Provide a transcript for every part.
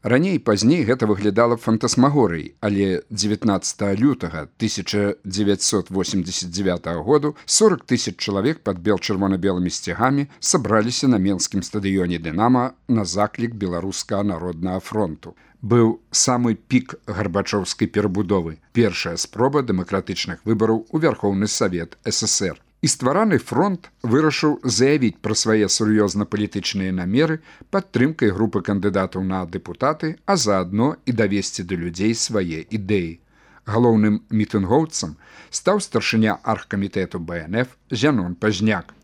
Раней пазней гэта выглядала фантасмагорыяй, але 19 лютага 1989 году 40 000 чалавек пад бел-чырвона-белымі сцягамі сабраліся на менскім стадыёне «Дынама» на заклік Беларускага народнага фронту. Быў самы пік гарбачоўскай перабудовы, першая спроба дэмакратычных выбараў у Вярхоўны Савет СССР. І ствараны фронт вырашыў заявіць пра свае сур'ёзна-палітычныя намеры падтрымкай групы кандыдатаў на дэпутаты, а заадно і давесці да людзей свае ідэі. Галоўным мітынгоўцам стаў старшыня аргкамітэту БНФ Зянон Пазняк.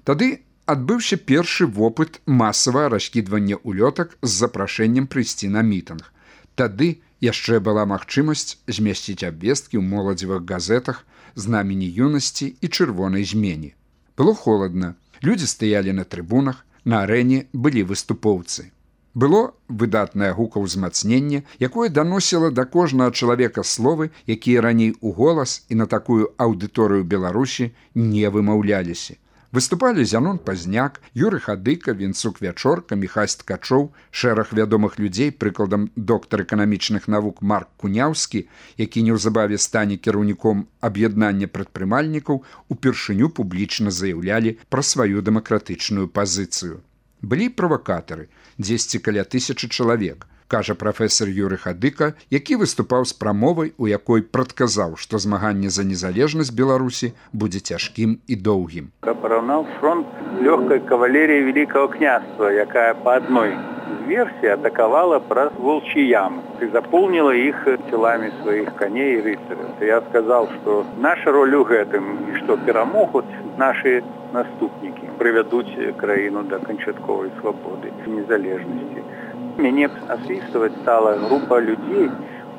Тады адбыўся першы вопыт масавага раскідвання улётак з запрашэннем прыйсці на мітынг. Тады яшчэ была магчымасць змясціць абвесткі ў моладзевых газетах «Знамені юнасці» і «Чырвонай змені». Было холадна. Людзі стаялі на трыбунах, на арэне былі выступоўцы. Было выдатнае гукаўзмацненне, якое даносіла да кожнага чалавека словы, якія раней у голас і на такую аўдыторыю Беларусі не вымаўляліся. Выступалі Зянон Пазняк, Юрый Хадыка, Вінцук Вячорка, Міхась Ткачоў, шэраг вядомых людзей, прыкладам доктар эканамічных навук Марк Куняўскі, які неўзабаве стане кіраўніком аб'яднання прадпрымальнікаў, упершыню публічна заяўлялі пра сваю дэмакратычную пазіцыю. Былі правакатары, дзесьці каля 1000 чалавек, кажа прафесор Юрый Хадыка, які выступаў з прамовай, у якой прадказаў, што змаганне за незалежнасць Беларусі будзе цяжкім і доўгім. Параўнаў фронт лёгкай кавалеріі Великого княства, якая па адной з версій атакавала праз волчьи ямы и заполнила их телами своих коней и рыцарей. Я сказал, что наша роль у гэтым, и что перамогут наши наступники, приведут краіну до канчатковой свободы и незалежности. Мяне освистывать стала группа людей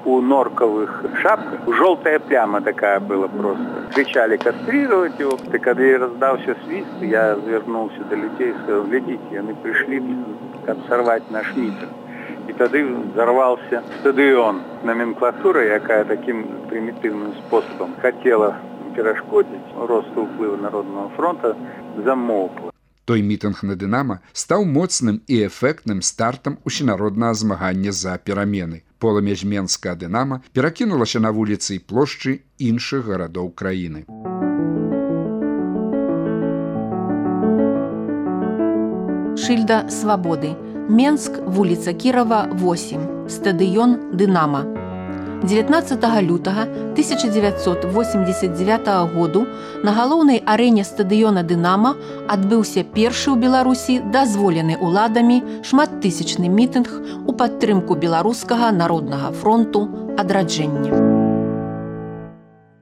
у норковых шапках. Желтая пляма такая была просто. Кричали кастрировать его. И когда я раздался свист, я вернулся до людей и сказал: глядите, они пришли сорвать наш митинг. И тогда взорвался стадион. Номенклатура, якая таким примитивным способом хотела перешкодить росту уплыва Народного фронта, замолкла. Той мітынг на «Дынама» стаў моцным і эфектным стартам усенароднага змагання за перамены. Полымя з менскага «Дынама» перакінулася на вуліцы і плошчы іншых гарадоў краіны. Шыльда свабоды. Менск, вуліца Кірава, 8. Стадыён «Дынама». 19 лютага 1989 году на галоўнай арэне стадыёна «Дынама» адбыўся першы ў Беларусі дазволены ўладамі шматтысячны мітынг у падтрымку беларускага народнага фронту адраджэння.